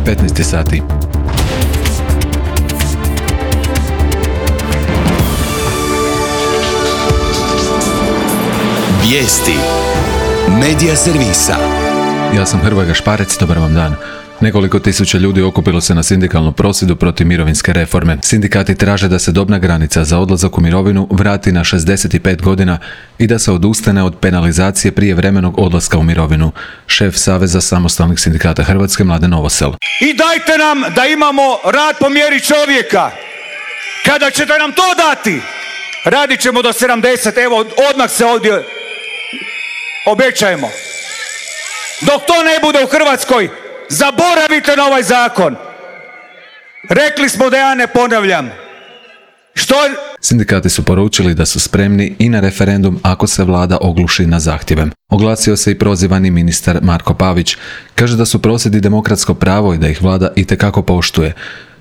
15 sati. Vijesti Medija servisa. Ja sam Hrvoje Gašparec, dobar vam dan. Nekoliko tisuća ljudi okupilo se na sindikalnom prosvjedu protiv mirovinske reforme. Sindikati traže da se dobna granica za odlazak u mirovinu vrati na 65 godina i da se odustane od penalizacije prijevremenog odlaska u mirovinu. Šef Saveza samostalnih sindikata Hrvatske Mladen Novosel. I dajte nam da imamo rad po mjeri čovjeka. Kada ćete nam to dati, radit ćemo do 70, evo odmah se ovdje obećajemo. Dok to ne bude u Hrvatskoj, zaboravite na ovaj zakon. Rekli smo da ja ne ponavljam. Sindikati su poručili da su spremni i na referendum ako se vlada ogluši na zahtjeve. Oglasio se i prozivani ministar Marko Pavić. Kaže da su prosvjedi demokratsko pravo i da ih vlada itekako poštuje.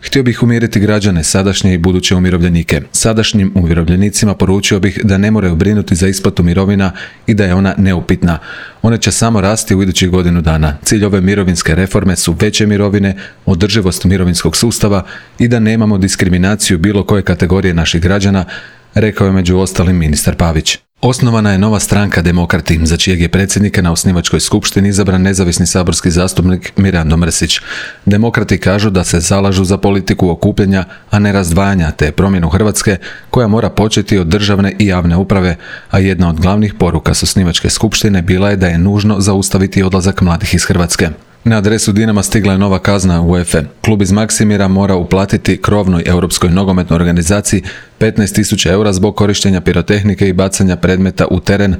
Htio bih umiriti građane, sadašnje i buduće umirovljenike. Sadašnjim umirovljenicima poručio bih da ne moraju brinuti za isplatu mirovina i da je ona neupitna. One će samo rasti u idućih godinu dana. Cilj ove mirovinske reforme su veće mirovine, održivost mirovinskog sustava i da nemamo diskriminaciju bilo koje kategorije naših građana, rekao je među ostalim ministar Pavić. Osnovana je nova stranka Demokrati, za čijeg je predsjednika na osnivačkoj skupštini izabran nezavisni saborski zastupnik Mirando Mrsić. Demokrati kažu da se zalažu za politiku okupljanja, a ne razdvajanja, te promjenu Hrvatske koja mora početi od državne i javne uprave, a jedna od glavnih poruka s osnivačke skupštine bila je da je nužno zaustaviti odlazak mladih iz Hrvatske. Na adresu Dinama stigla je nova kazna UEFA. Klub iz Maksimira mora uplatiti krovnoj europskoj nogometnoj organizaciji 15.000 eura zbog korištenja pirotehnike i bacanja predmeta u teren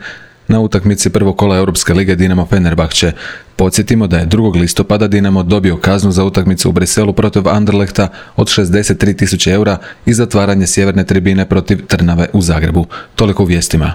na utakmici prvog kola Europske lige Dinamo Fenerbahče. Podsjetimo da je 2. listopada Dinamo dobio kaznu za utakmicu u Briselu protiv Anderlechta od 63.000 eura i zatvaranje sjeverne tribine protiv Trnave u Zagrebu. Toliko u vijestima.